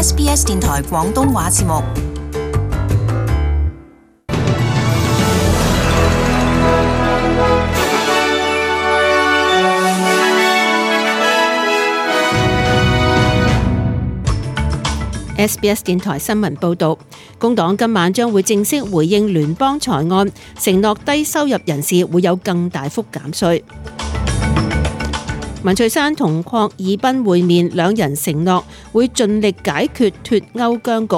SBS 電台廣東話節目。SBS 電台新聞報導，工黨今晚將會正式回應聯邦財案，承諾低收入人士會有更大幅減稅。文翠珊同郝爾彬會面，兩人承諾會盡力解決脫歐僵局。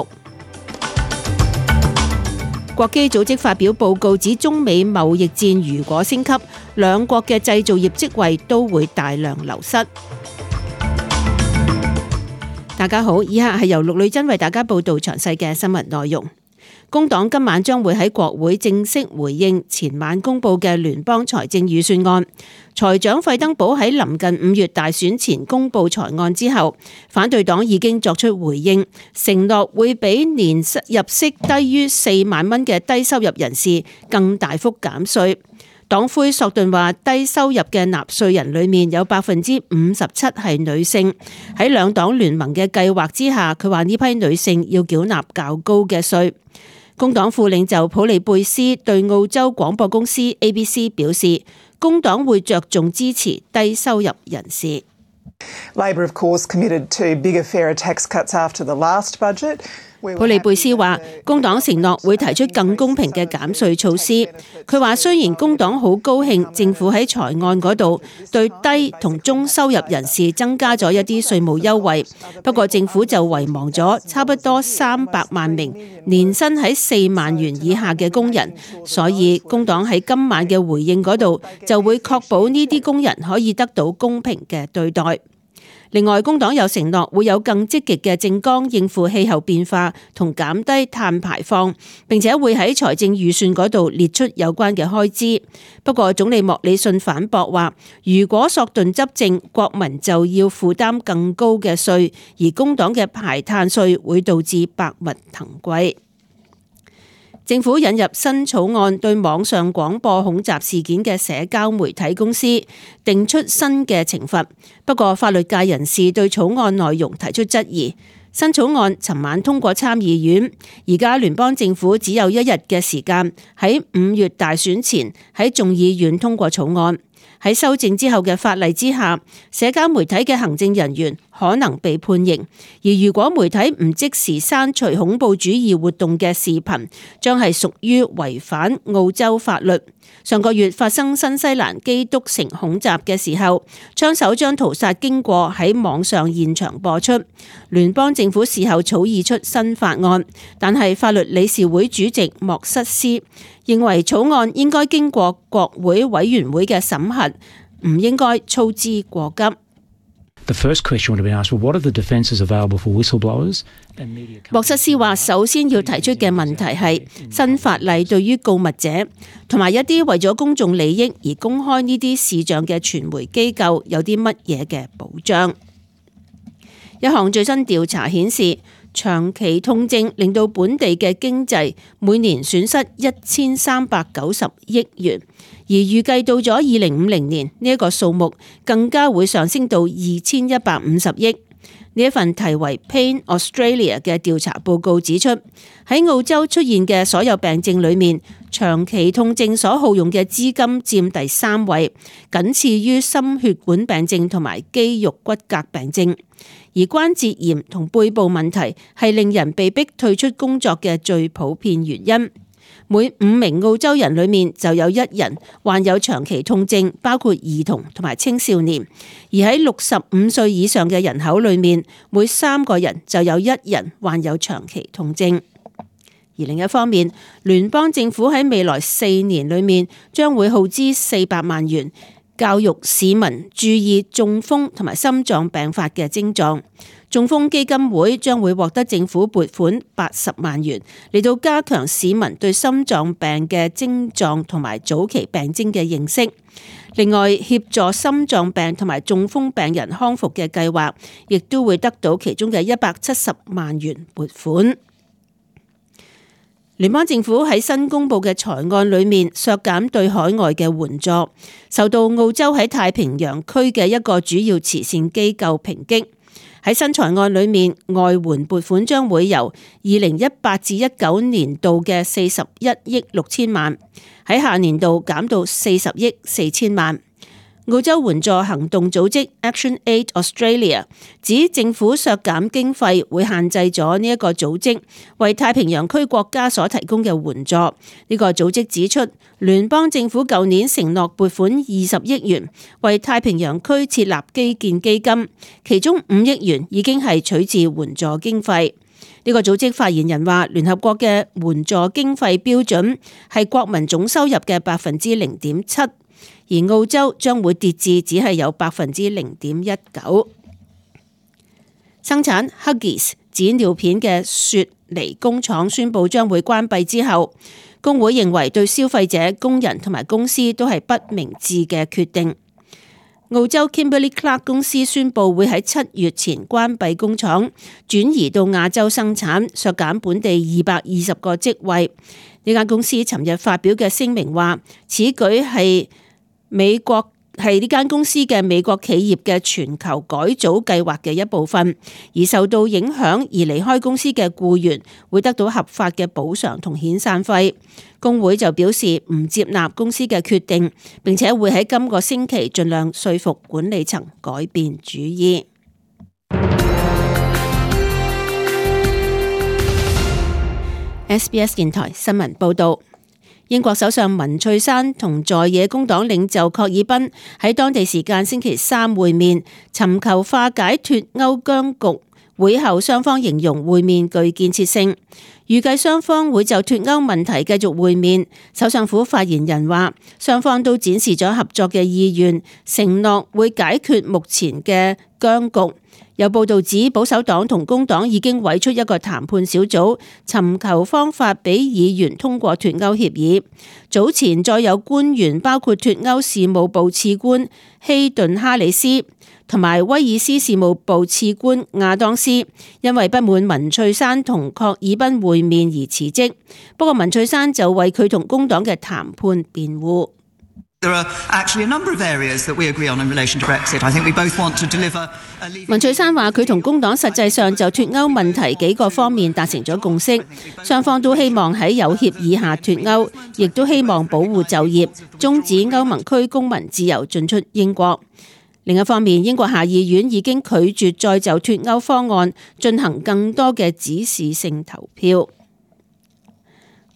國基組織發表報告指，中美貿易戰如果升級，兩國嘅製造業職位都會大量流失。大家好，以下係由陸女真為大家報道詳細嘅新聞內容。工黨今晚將會喺國會正式回應前晚公布嘅聯邦財政預算案。財長費登堡喺臨近5月大選前公布財案之後，反對黨已經作出回應，承諾會俾年入息低於4萬蚊嘅低收入人士更大幅減稅。黨魁索頓話，低收入嘅納稅人裏面有57%係女性。喺兩黨聯盟嘅計劃之下，佢話呢批女性要繳納較高嘅稅。工黨副領袖普利貝斯對澳洲廣播公司 ABC 表示，工黨會着重支持低收入人士。Labor, of course, committed to bigger, fairer tax cuts after the last budget. 普利貝斯話，工黨承諾會提出更公平嘅減稅措施。佢話，雖然工黨好高興政府喺財案嗰度對低同中收入人士增加咗一啲稅務優惠，不過政府就遺忘咗差不多300萬名年薪喺4萬元以下嘅工人，所以工黨喺今晚嘅回應嗰度就會確保呢啲工人可以得到公平嘅對待。另外，工黨有承諾會有更積極嘅政綱應付氣候變化同減低碳排放，並且會喺財政預算嗰度列出有關嘅開支。不過，總理莫里遜反駁話，如果索頓執政，國民就要負擔更高嘅稅，而工黨嘅排碳稅會導致百物騰貴。政府引入新草案，對網上廣播恐襲事件嘅社交媒體公司定出新嘅懲罰。不過，法律界人士對草案內容提出質疑。新草案尋晚通過參議院，而家聯邦政府只有1日嘅時間，喺5月大選前喺眾議院通過草案。喺修正之後嘅法例之下，社交媒體嘅行政人員可能被判刑，而如果媒體唔即時刪除恐怖主義活動嘅視頻，將係屬於違反澳洲法律。上個月發生新西蘭基督城恐襲嘅時候，槍手將屠殺經過喺網上現場播出。聯邦政府事後草擬出新法案，但係法律理事會主席莫瑟斯認為草案應該經過國會委員會嘅審核，唔應該操之過急。The first question would have been asked, well, what are the defences available for whistleblowers? 莫瑟斯話，首先要提出嘅問題係新法例對於告密者同埋一啲為咗公眾利益而公開呢啲視像嘅傳媒機構有啲乜嘢嘅保障。一項最新調查顯示，長期痛症令到本地嘅經濟每年損失1390億元，而預計到咗2050年呢一個數目更加會上升到2150億。呢一份題為 Pain Australia 嘅調查報告指出，喺澳洲出現嘅所有病症裏面，長期痛症所耗用嘅資金佔第3位，僅次於心血管病症同埋肌肉骨骼病症。而關節炎同背部問題係令人被逼退出工作嘅最普遍原因。每5名澳洲人裏面就有1人患有長期痛症，包括兒童同埋青少年。而喺65歲以上嘅人口裏面，每3個人就有1人患有長期痛症。而另一方面，聯邦政府喺未來4年裏面將會耗資400萬元，教育市民注意中風同埋心臟病發嘅症狀。中風基金會將會獲得政府撥款80萬元，嚟到加強市民對心臟病嘅症狀同埋早期病徵嘅認識。另外，協助心臟病同埋中風病人康復嘅計劃，亦都會得到其中嘅170萬元撥款。聯邦政府喺新公布嘅財案裏面削減對海外嘅援助，受到澳洲喺太平洋區嘅一個主要慈善機構抨擊。喺新財案裏面，外援撥款將會由2018至19年度嘅41億6千萬，喺下年度減到40億4千萬。澳洲援助行動組織 Action Aid Australia 指政府削減經費會限制咗呢一個組織為太平洋區國家所提供嘅援助。呢個組織指出，聯邦政府舊年承諾撥款20億元為太平洋區設立基建基金，其中5億元已經係取自援助經費。呢個組織發言人話，聯合國嘅援助經費標準係國民總收入嘅0.7%。而澳洲將會跌至只係有0.19%。生產 Huggies 紙尿片嘅雪梨工廠宣布將會關閉之後，工會認為對消費者、工人同埋公司都係不明智嘅決定。澳洲 Kimberly-Clark 公司宣布會喺7月前關閉工廠，轉移到亞洲生產，削減本地220個職位。呢間公司尋日發表嘅聲明話，此舉係呢間公司嘅美國企業嘅全球改組計劃嘅一部分，而受到影響而離開公司嘅僱員會得到合法嘅補償同遣散費。工會就表示唔接納公司嘅決定，並且會喺今個星期盡量說服管理層改變主意。SBS 電台新聞報道。英國首相文翠珊同在野工黨領袖郝爾彬喺當地時間星期3會面，尋求化解脫歐僵局。會後雙方形容會面具建設性，預計雙方會就脫歐問題繼續會面。首相府發言人話，雙方都展示咗合作嘅意願，承諾會解決目前嘅僵局。有報道指，保守黨同工黨已經委出一個談判小組，尋求方法俾議員通過脫歐協議。早前再有官員，包括脫歐事務部次官希頓哈里斯同埋威爾斯事務部次官亞當斯，因為不滿文翠珊同郝爾彬會面而辭職。不過文翠珊就為佢同工黨嘅談判辯護。文翠珊話，佢同工黨實際上就脫歐問題幾個方面達成咗共識，雙方都希望喺有協議下脫歐，亦都希望保護就業，終止歐盟區公民自由進出英國。另一方面，英國下議院已經拒絕再就脫歐方案進行更多嘅指示性投票。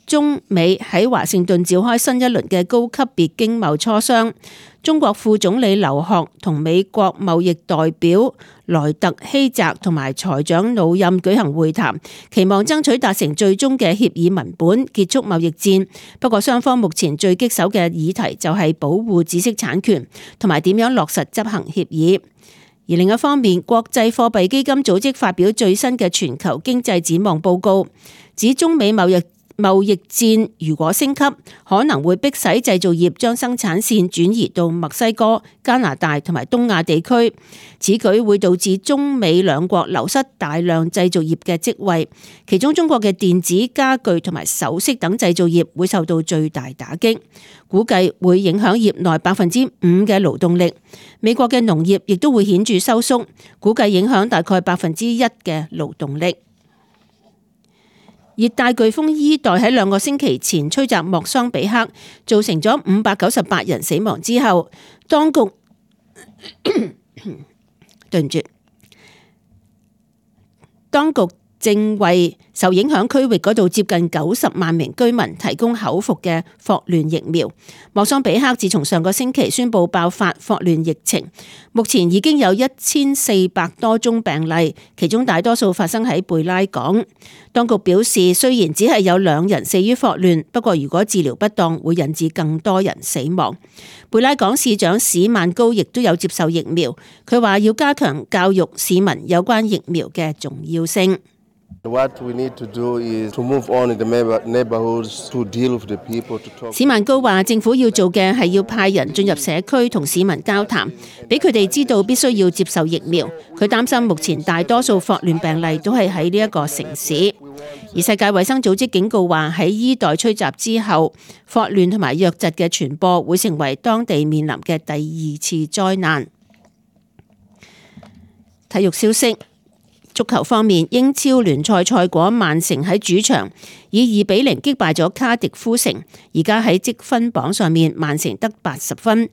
中美喺華盛頓召開新一輪嘅高級別經貿磋商，中國副總理劉鶴同美國貿易代表萊特希澤同埋財長魯任舉行會談，期望爭取達成最終嘅協議文本，結束貿易戰。不過雙方目前最棘手嘅議題就係保護知識產權同埋點樣落實執行協議。而另一方面，國際貨幣基金組織發表最新嘅全球經濟展望報告，指中美貿易戰如果升級，可能會迫使製造業將生產線轉移到墨西哥、加拿大同埋東亞地區。此舉會導致中美兩國流失大量製造業嘅職位，其中中國嘅電子、家具同埋首飾等製造業會受到最大打擊，估計會影響業內5%嘅勞動力。美國嘅農業亦都會顯著收縮，估計影響大概1%嘅勞動力。熱帶颶風伊代喺2個星期前吹襲莫桑比克，造成咗598人死亡之後，當局對唔住，當局正為受影響區域嗰度接近90萬名居民提供口服嘅霍亂疫苗。莫桑比克自從上個星期宣布爆發霍亂疫情，目前已經有1400多宗病例，其中大多數發生喺貝拉港。當局表示，雖然只係有2人死於霍亂，不過如果治療不當，會引致更多人死亡。貝拉港市長史曼高亦都有接受疫苗，佢話要加強教育市民有關疫苗嘅重要性。史曼高話，政府要做嘅係要派人進入社區同市民交談，俾佢哋知道必須要接受疫苗。佢擔心目前大多數霍亂病例都係喺呢一個城市。而世界衛生組織警告話，喺伊代吹襲之後，霍亂同埋瘧疾嘅傳播會成為當地面臨嘅第2次災難。體育消息。足球方面，英超聯賽賽果，曼城喺主場以2-0擊敗咗卡迪夫城，而家喺積分榜上面，曼城得80分，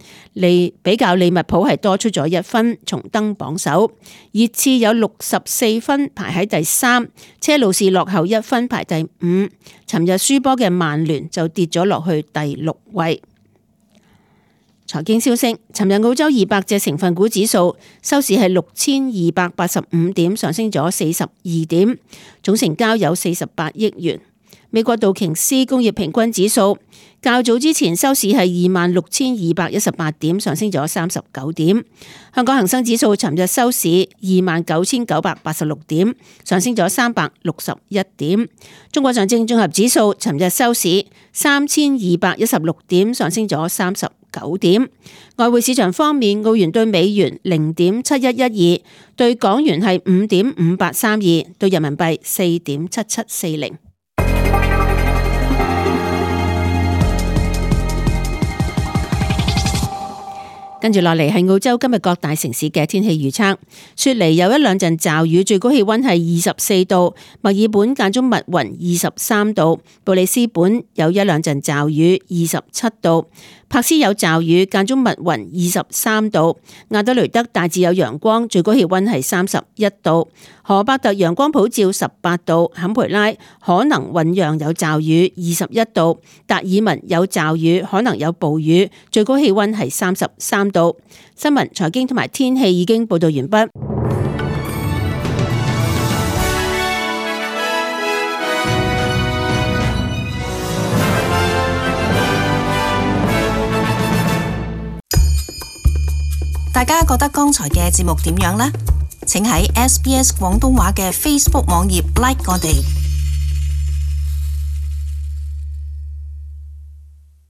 比較利物浦係多出咗1分，重登榜首。熱刺有64分排喺第3，車路士落後1分排第5。尋日輸波嘅曼聯就跌咗落去第6位。財經消息，尋日澳洲200隻成分股指數收市係6285點，上升咗42點，總成交有48億元。美國道瓊斯工業平均指數較早之前收市係26,218點，上升咗39點。香港恒生指數尋日收市29,986點，上升咗361點。中國上證綜合指數尋日收市3,216點，上升咗39點。外匯市場方面，澳元對美元0.7112，對港元係5.5832，對人民幣4.7740。跟住落嚟係澳洲今日各大城市嘅天氣預測。雪梨有1兩陣驟雨，最高氣溫係24度；墨爾本間中密雲23度；布里斯本有1兩陣驟雨27度；柏斯有驟雨間中密雲23度；亞德雷德大致有陽光，最高氣溫係31度；荷伯特陽光普照18度；坎培拉可能醞釀有驟雨21度；達爾文有驟雨可能有暴雨，最高氣溫係33度。新聞、財經同埋天氣已經報道完畢。大家覺得剛才嘅節目點樣呢？請喺SBS 廣東話嘅 Facebook 網頁 like 我哋。